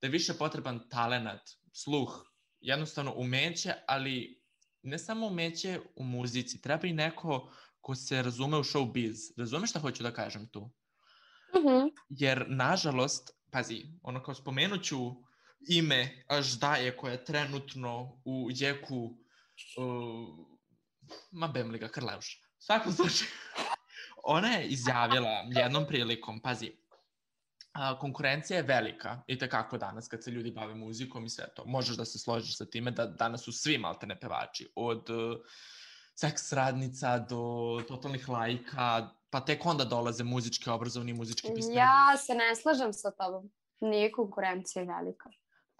da je više potreban talenat, sluh, jednostavno umeće, ali ne samo umeće u muzici, treba i neko ko se razume u showbiz. Razume šta hoću da kažem tu? Mm-hmm. Jer, nažalost, pazi, ono kao spomenuću ime Aždaje koja je trenutno u jeku uh, ma bem li ga Krleuša. U svakom slučaju, ona je izjavila jednom prilikom, pazi, a, konkurencija je velika i tekako danas kad se ljudi bave muzikom i sve to. Možeš da se složiš sa time da danas su svi maltene pevači, od uh, seks radnica do totalnih lajka, pa tek onda dolaze muzički obrazovni i muzički pismeni. Ja se ne slažem sa tobom. Nije konkurencija velika.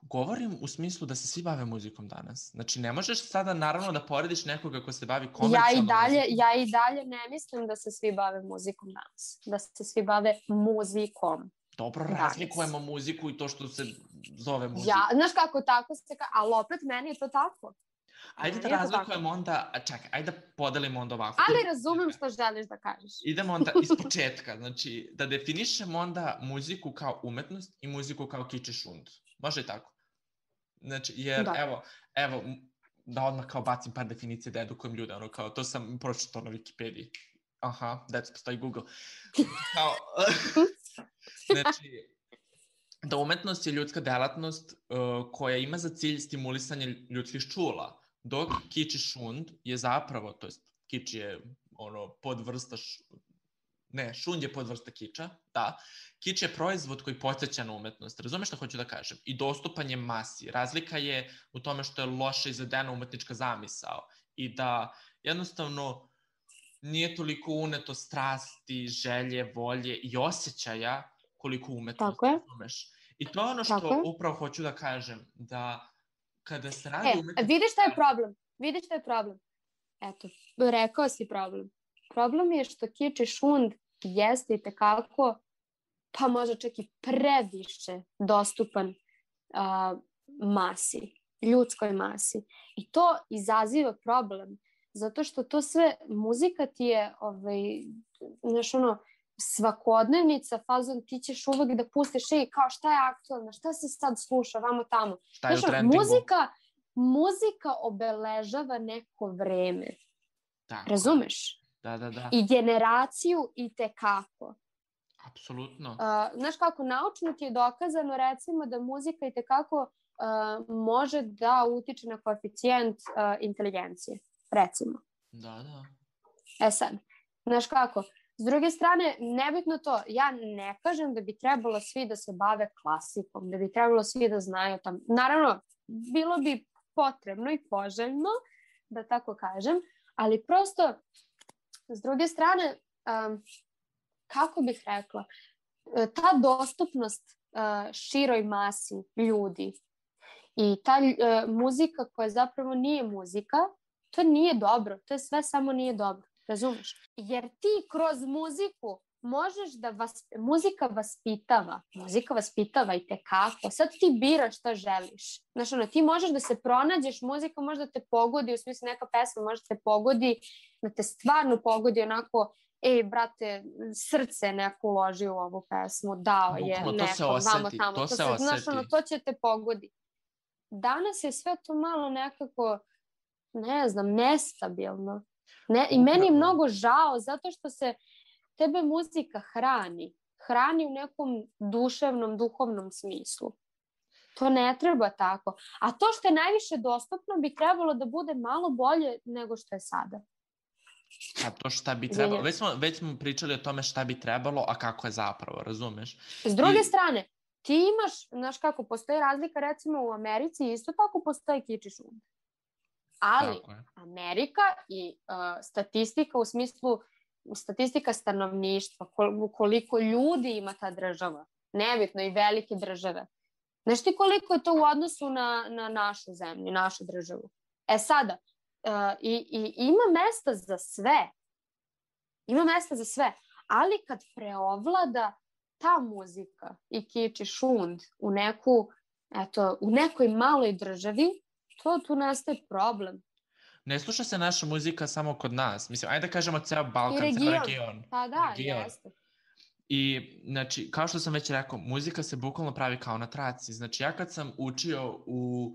Govorim u smislu da se svi bave muzikom danas. Znači, ne možeš sada naravno da porediš nekoga ko se bavi komercijalnom ja i dalje, muzikom. Ja i dalje ne mislim da se svi bave muzikom danas. Da se svi bave muzikom. Dobro, razlikujemo muziku i to što se zove muzika. Ja, znaš kako tako se ka... Ali opet meni je to tako. Ajde da razlikujemo onda, čekaj, ajde da podelimo onda ovako. Ali razumem što želiš da kažeš. Idemo onda iz početka, znači da definišemo onda muziku kao umetnost i muziku kao kič i šund. Može i tako? Znači, jer da. evo, evo, da odmah kao bacim par definicije da edukujem ljude, ono kao, to sam pročitao na Wikipediji. Aha, deco, postoji Google. Kao, znači, da umetnost je ljudska delatnost uh, koja ima za cilj stimulisanje ljudskih čula, dok kič i šund je zapravo, to jest kič je ono podvrsta, š... ne, šund je podvrsta kiča, da, kič je proizvod koji podsjeća na umetnost, razumeš šta hoću da kažem, i dostupan je masi. Razlika je u tome što je loše izvedena umetnička zamisao i da jednostavno nije toliko uneto strasti, želje, volje i osjećaja koliko umetnost, razumeš. I to je ono što Tako upravo hoću da kažem, da kada se radi e, umetnost... Vidiš šta je problem? Vidiš šta je problem? Eto, rekao si problem. Problem je što kič i šund jeste i tekako, pa možda čak i previše dostupan uh, masi, ljudskoj masi. I to izaziva problem, zato što to sve, muzika ti je, ovaj, znaš ono, svakodnevnica, fazon, ti ćeš uvek da pustiš i kao šta je aktualno, šta se sad sluša, vamo tamo. Šta je znaš, u trendingu? Muzika, muzika obeležava neko vreme. Tako. Razumeš? Da, da, da. I generaciju i tekako. Apsolutno. Uh, znaš kako, naučno ti je dokazano recimo da muzika i tekako uh, može da utiče na koeficijent uh, inteligencije. Recimo. Da, da. E sad, znaš kako, s druge strane, nebitno to, ja ne kažem da bi trebalo svi da se bave klasikom, da bi trebalo svi da znaju tam. Naravno, bilo bi potrebno i poželjno, da tako kažem, ali prosto, s druge strane, um, kako bih rekla, ta dostupnost uh, široj masi ljudi i ta uh, muzika koja zapravo nije muzika, to nije dobro, to je sve samo nije dobro, razumeš? Jer ti kroz muziku možeš da vas, muzika vaspitava, muzika vaspitava i tekako, sad ti biraš šta želiš. Znaš, ono, ti možeš da se pronađeš, muzika možda te pogodi, u smislu neka pesma možda te pogodi, da te stvarno pogodi onako, ej, brate, srce neko uloži u ovu pesmu, dao je Bukno, neko, to se vamo oseti, tamo, to, to se, se, oseti. Znaš, ono, to će te pogodi. Danas je sve to malo nekako, ne znam, nestabilno. Ne, I meni je mnogo žao, zato što se tebe muzika hrani. Hrani u nekom duševnom, duhovnom smislu. To ne treba tako. A to što je najviše dostupno bi trebalo da bude malo bolje nego što je sada. A to šta bi trebalo, već smo, već smo pričali o tome šta bi trebalo, a kako je zapravo, razumeš? S druge I... strane, ti imaš, znaš kako, postoji razlika recimo u Americi, isto tako postoji kič i šund. Ali Amerika i uh, statistika u smislu statistika stanovništva, koliko ljudi ima ta država, nebitno i velike države. Znaš ti koliko je to u odnosu na, na našu zemlju, našu državu? E sada, uh, i, i ima mesta za sve. Ima mesta za sve. Ali kad preovlada ta muzika i kič i šund u neku, eto, u nekoj maloj državi, to tu nastaje problem. Ne sluša se naša muzika samo kod nas. Mislim, ajde da kažemo ceo Balkan, region. ceo region. Pa da, region. Jeste. I, znači, kao što sam već rekao, muzika se bukvalno pravi kao na traci. Znači, ja kad sam učio u,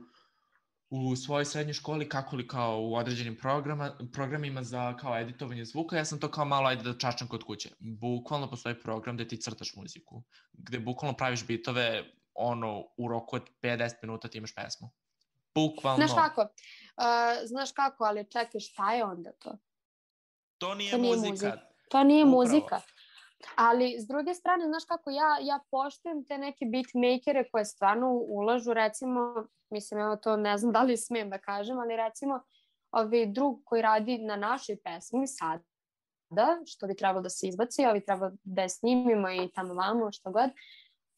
u svojoj srednjoj školi kako li kao u određenim programa, programima za kao editovanje zvuka, ja sam to kao malo ajde da čačam kod kuće. Bukvalno postoji program gde ti crtaš muziku. Gde bukvalno praviš bitove, ono, u roku od pet do deset minuta ti imaš pesmu. Bukvalno. Znaš kako, uh, znaš kako, ali čekaj, šta je onda to? To nije, to nije muzika. muzika. To nije Upravo. muzika. Ali, s druge strane, znaš kako, ja, ja poštujem te neke beatmakere koje stvarno ulažu, recimo, mislim, evo to ne znam da li smijem da kažem, ali recimo, ovaj drug koji radi na našoj pesmi sada, što bi trebalo da se izbaci, ali treba da je snimimo i tamo vamo, što god,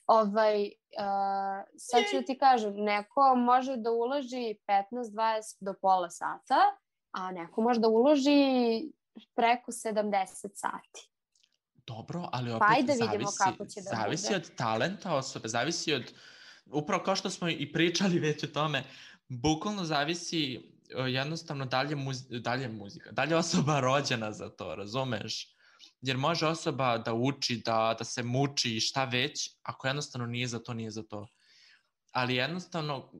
ovaj, uh, sad ću da ti kažem, neko može da uloži petnaest dvadeset do pola sata, a neko može da uloži preko sedamdeset sati. Dobro, ali opet pa ajde zavisi, vidimo kako će da zavisi bude. od talenta osobe, zavisi od, upravo kao što smo i pričali već o tome, bukvalno zavisi jednostavno dalje, muz, dalje muzika, dalje osoba rođena za to, razumeš? Jer može osoba da uči, da, da se muči i šta već, ako jednostavno nije za to, nije za to. Ali jednostavno,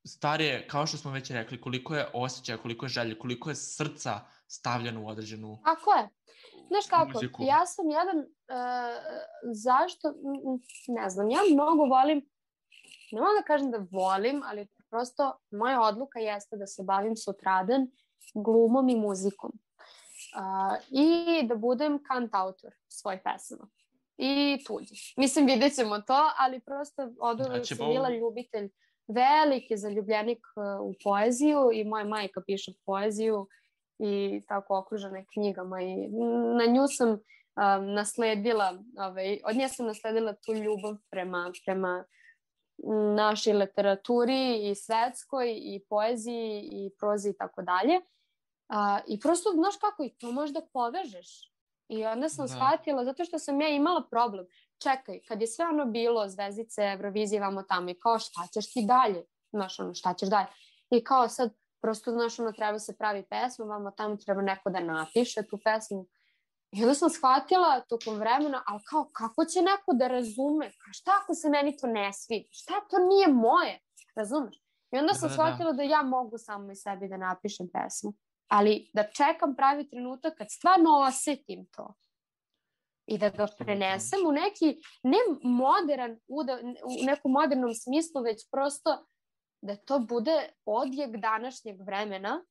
stvar je, kao što smo već rekli, koliko je osjećaja, koliko je želje, koliko je srca stavljeno u određenu Ako je. Znaš kako, muziku. Ja sam jedan, uh, zašto, ne znam, ja mnogo volim, ne mogu da kažem da volim, ali prosto moja odluka jeste da se bavim sutradan glumom i muzikom. Uh, I da budem kantautor svojih pesama. I tuđi. Mislim, vidjet ćemo to, ali prosto od uvek znači, sam bila ljubitelj, veliki zaljubljenik uh, u poeziju i moja majka piše poeziju i tako okružena knjigama i na nju sam um, nasledila, ovaj, od nje sam nasledila tu ljubav prema, prema našoj literaturi i svetskoj i poeziji i prozi i tako dalje. I prosto, znaš kako, i to možda povežeš. I onda sam da. shvatila, zato što sam ja imala problem. Čekaj, kad je sve ono bilo, zvezdice, Eurovizije, vamo tamo, i kao šta ćeš ti dalje? Znaš, ono, šta ćeš dalje? I kao sad, prosto, znaš, ono, treba se pravi pesma, vamo tamo treba neko da napiše tu pesmu. I onda sam shvatila tokom vremena, ali kao, kako će neko da razume? Šta ako se meni to ne svidi? Šta to nije moje? Razumeš? I onda sam da, shvatila da. da ja mogu samo i sebi da napišem pesmu. Ali da čekam pravi trenutak kad stvarno osetim to. I da ga prenesem u neki, ne modern, u nekom modernom smislu, već prosto da to bude odjek današnjeg vremena,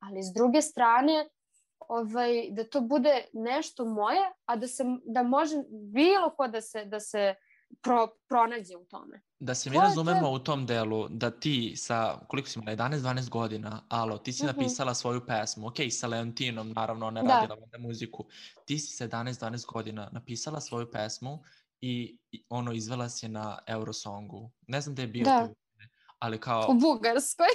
ali s druge strane ovaj, da to bude nešto moje, a da, se, da može bilo ko da se, da se pro, pronađe u tome. Da se mi to razumemo to... u tom delu, da ti sa, koliko si imala, jedanaest dvanaest godina, alo, ti si uh-huh. napisala svoju pesmu, ok, sa Leontinom, naravno, ona je da. radila onda muziku, ti si sa jedanaest dvanaest godina napisala svoju pesmu i, i ono, izvela si je na Eurosongu. Ne znam da je bio da. tu, ali kao... U Bugarskoj.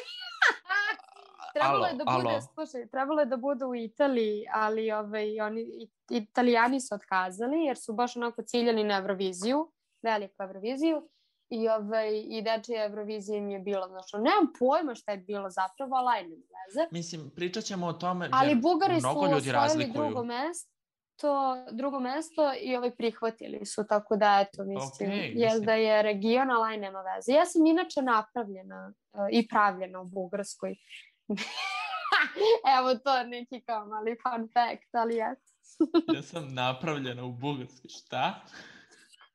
Trebalo alo, je da bude, alo. slušaj, trebalo je da bude u Italiji, ali ovaj, oni, Italijani su otkazali, jer su baš onako ciljani na Euroviziju, veliku Euroviziju, i, ovaj, i dečija Eurovizija im je bilo, znači, nemam pojma šta je bilo zapravo, ali ajde veze. Mislim, pričat ćemo o tome, ali jer Bugari mnogo ljudi razlikuju. drugo mesto, to drugo mesto i ovaj prihvatili su, tako da eto, mislim, okay, je mislim. da je region, ali aj nema veze. Ja sam inače napravljena uh, i pravljena u Bugarskoj. Evo to neki kao mali fun fact, ali eto. Ja sam napravljena u Bugarskoj, šta?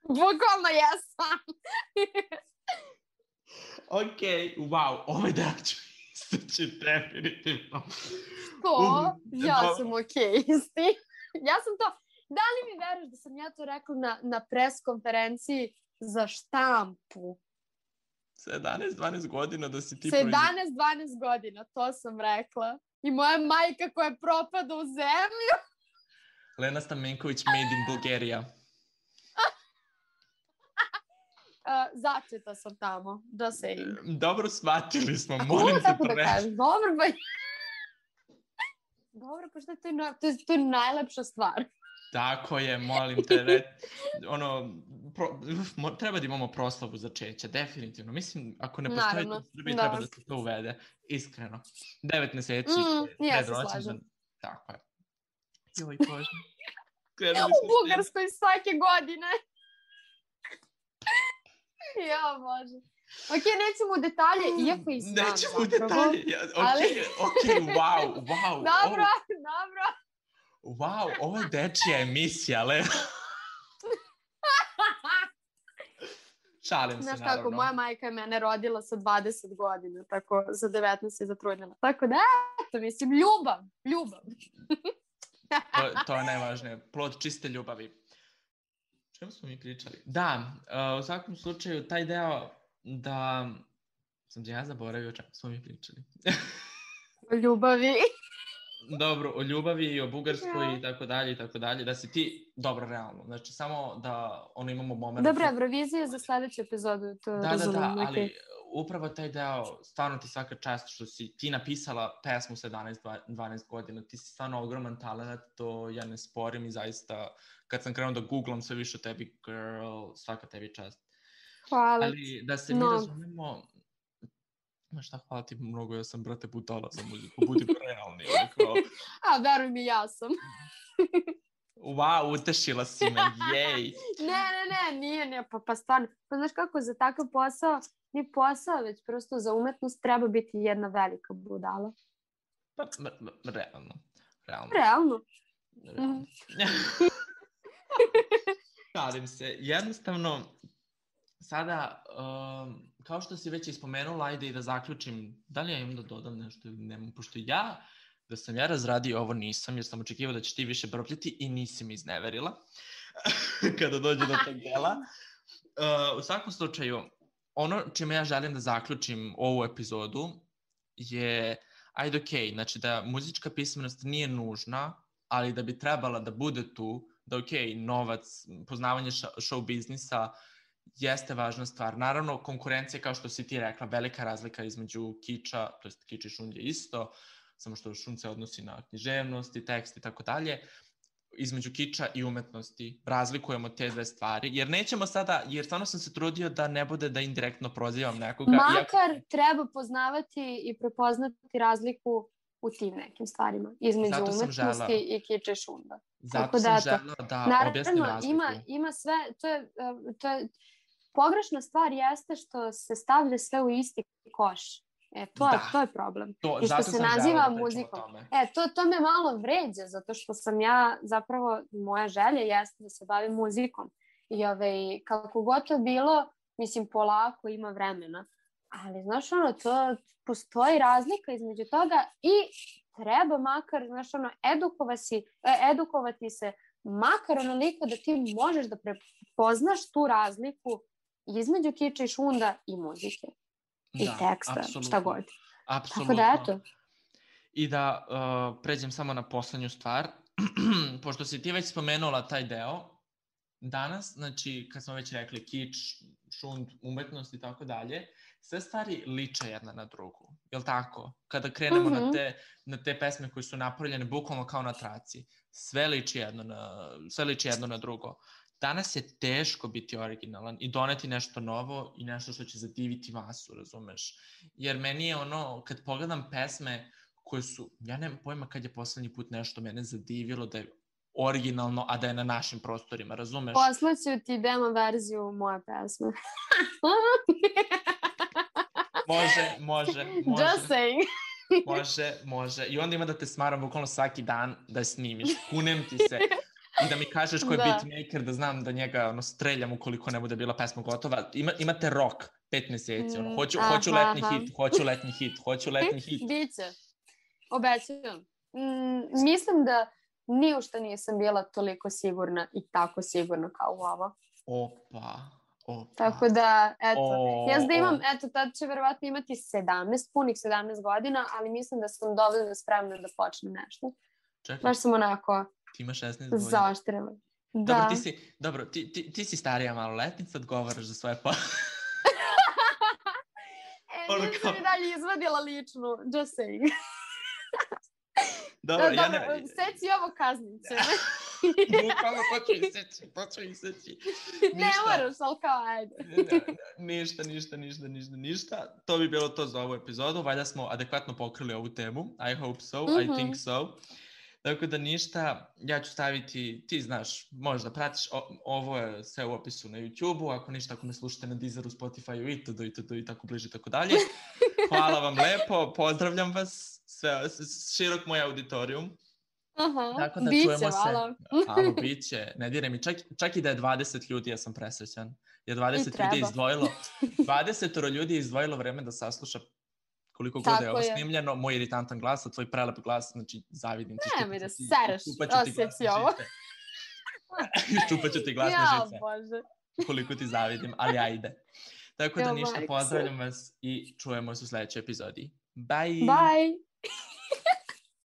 Bukvalno jesam. Ok, wow, ovaj da ću istaći definitivno. To? Ja sam ok isti. Ja sam to, da li mi veruješ da sam ja to rekla na, na pres konferenciji za štampu? sedamnaest dvanaest godina da si ti... sedamnaest dvanaest godina, to sam rekla. I moja majka koja propada u zemlju. Lena Stamenković made in Bulgaria. Uh, začeta sam tamo, just saying. Dobro, shvatili smo, A molim te te da kažem, dobro, ba... dobro, pa šta to je, na... to je, to je najlepša stvar. Tako je, molim te, re... ono, pro... Uf, treba da imamo proslavu začeća, definitivno. Mislim, ako ne postoji to u Srbiji, treba da se to uvede, iskreno. Devet meseci. Mm, ja se slažem. Tako je. Joj, Bože. U Bugarskoj svake godine. Ja, Bože. Ok, nećemo u detalje, iako i znam zapravo. Nećemo u detalje, ok, ali... ok, wow, wow. Dobro, oh. dobro. Wow, ovo je dečija emisija, ale... Šalim se, znaš naravno. kako, moja majka je mene rodila sa dvadeset godina, tako za devetnaest je zatrudnila. Tako da, eto, mislim, ljubav, ljubav. to, to je najvažnije, plod čiste ljubavi. Čemu smo mi pričali? Da, uh, u svakom slučaju, taj deo da... Sam ja zaboravio o čemu smo mi pričali. O ljubavi. Dobro, o ljubavi i o Bugarskoj ja. i tako dalje i tako dalje, da si ti, dobro, realno, znači samo da ono imamo moment... Dobro, Eurovizija za sledeću epizodu, to da, razumijem. Da, da, okay. ali upravo taj deo, stvarno ti svaka čast što si ti napisala pesmu sedamnaest dvanaest godina, ti si stvarno ogroman talent, to ja ne sporim i zaista, kad sam krenuo da googlam sve više o tebi, girl, svaka tebi čast. Hvala. Ali da se mi no. razumemo... Ma šta, hvala ti mnogo, ja sam, brate, budala za muziku, budi realni. Kao... A, veruj mi, ja sam. Wow, utešila si me, jej. Ne, ne, ne, nije, ne, pa, pa stvarno. Pa znaš kako, za takav posao, ni posao, već prosto za umetnost treba biti jedna velika budala. Pa, m- m- realno. Realno. Realno. Realno. Šalim se, jednostavno... Sada, um, kao što si već ispomenula, ajde i da zaključim, da li ja imam da dodam nešto ili nemam, pošto ja, da sam ja razradio ovo nisam, jer sam očekivao da će ti više brbljati i nisi mi izneverila kada dođe do tog dela. Uh, u svakom slučaju, ono čime ja želim da zaključim ovu epizodu je, ajde okej, okay, znači da muzička pismenost nije nužna, ali da bi trebala da bude tu, da okej, okay, novac, poznavanje show biznisa, jeste važna stvar. Naravno, konkurencija, kao što si ti rekla, velika razlika između kiča, to jest kič i šund je isto, samo što šund se odnosi na književnost i tekst i tako dalje, između kiča i umetnosti. Razlikujemo te dve stvari, jer nećemo sada, jer stvarno sam se trudio da ne bude da indirektno prozivam nekoga. Makar iako... treba poznavati i prepoznati razliku u tim nekim stvarima, između zato umetnosti i kiča i šunda. Zato tako sam da, žela da naravno, objasnim razliku. Ima, ima sve, to je, to je, pogrešna stvar jeste što se stavlja sve u isti koš. E, to, da. je, to je problem. To, I što se naziva muzikom. E, to, to me malo vređa, zato što sam ja, zapravo, moja želja jeste da se bavim muzikom. I ove, kako god to bilo, mislim, polako ima vremena. Ali, znaš, ono, to postoji razlika između toga i treba makar, znaš, ono, edukovati, edukovati se makar onoliko da ti možeš da prepoznaš tu razliku između kiča i šunda i muzike. I da, teksta, apsolutno. Šta god. Apsolutno. Tako da, eto. I da uh, pređem samo na poslednju stvar. Pošto si ti već spomenula taj deo, danas, znači, kad smo već rekli kič, šund, umetnost i tako dalje, sve stvari liče jedna na drugu. Jel' tako? Kada krenemo mm-hmm. na, te, na te pesme koje su napravljene bukvalno kao na traci, sve liči jedno na, sve liči jedno na drugo. Danas je teško biti originalan i doneti nešto novo i nešto što će zadiviti masu, razumeš? Jer meni je ono, kad pogledam pesme koje su, ja nemam pojma kad je poslednji put nešto mene zadivilo da je originalno, a da je na našim prostorima, razumeš? Poslaću ti demo verziju moje pesme. Može, može, može. Just saying. Može, može. I onda ima da te smaram bukvalno svaki dan da snimiš. Kunem ti se. I da mi kažeš ko je da. beatmaker, da znam da njega ono, streljam ukoliko ne bude bila pesma gotova. Ima, imate rok, pet meseci. Ono. Hoću, aha, hoću letni aha. hit, hoću letni hit, hoću letni hit. Biće. Obećam. Mm, mislim da ni u što nisam bila toliko sigurna i tako sigurna kao u ovo. Opa, O, Tako da, eto, o, ja znam da imam, o. eto, tad će verovatno imati sedamnaest, punih sedamnaest godina, ali mislim da sam dovoljno spremna da počnem nešto. Čekaj, Baš sam onako ti imaš šesnaest godina. zaoštrila. Da. Dobro, ti si, dobro, ti, ti, ti si starija maloletnica, odgovaraš za svoje pa... E, Ono nisam kao- i dalje izvadila ličnu, just saying. Dobro, Da, ja dobro, ne... seci ovo kaznice. Bukvalno, to ću iseći, to ću iseći. Ne moraš, ali kao, ajde. Ništa, ništa, ništa, ništa, ništa. To bi bilo to za ovu epizodu. Valjda smo adekvatno pokrili ovu temu. I hope so, Mhm. I think so. Tako da ništa, ja ću staviti, ti znaš, možda pratiš, o, ovo je sve u opisu na YouTube-u, ako ništa, ako me slušate na Deezeru, Spotify-u itd. itd. I tako bliže i tako dalje. Hvala vam lepo, pozdravljam vas, sve, širok moj auditorijum. Aha, Tako da biće, čujemo hvala. se. Halo, biće, ne diraj mi, čak, čak i da je dvadeset ljudi, ja sam presrećan. Jer dvadeset ljudi je izdvojilo, dvadeset ljudi je izdvojilo vreme da sasluša koliko god je ovo snimljeno, moj iritantan glas, a tvoj prelep glas, znači zavidim ti. Ne mi da sereš, osjeci ovo. Ščupat ću ti glasne Ja, žice. Bože. Koliko ti zavidim, ali ajde. Tako da Ja, ništa, majke. pozdravljam vas i čujemo se u sledećoj epizodi. Bye! Bye!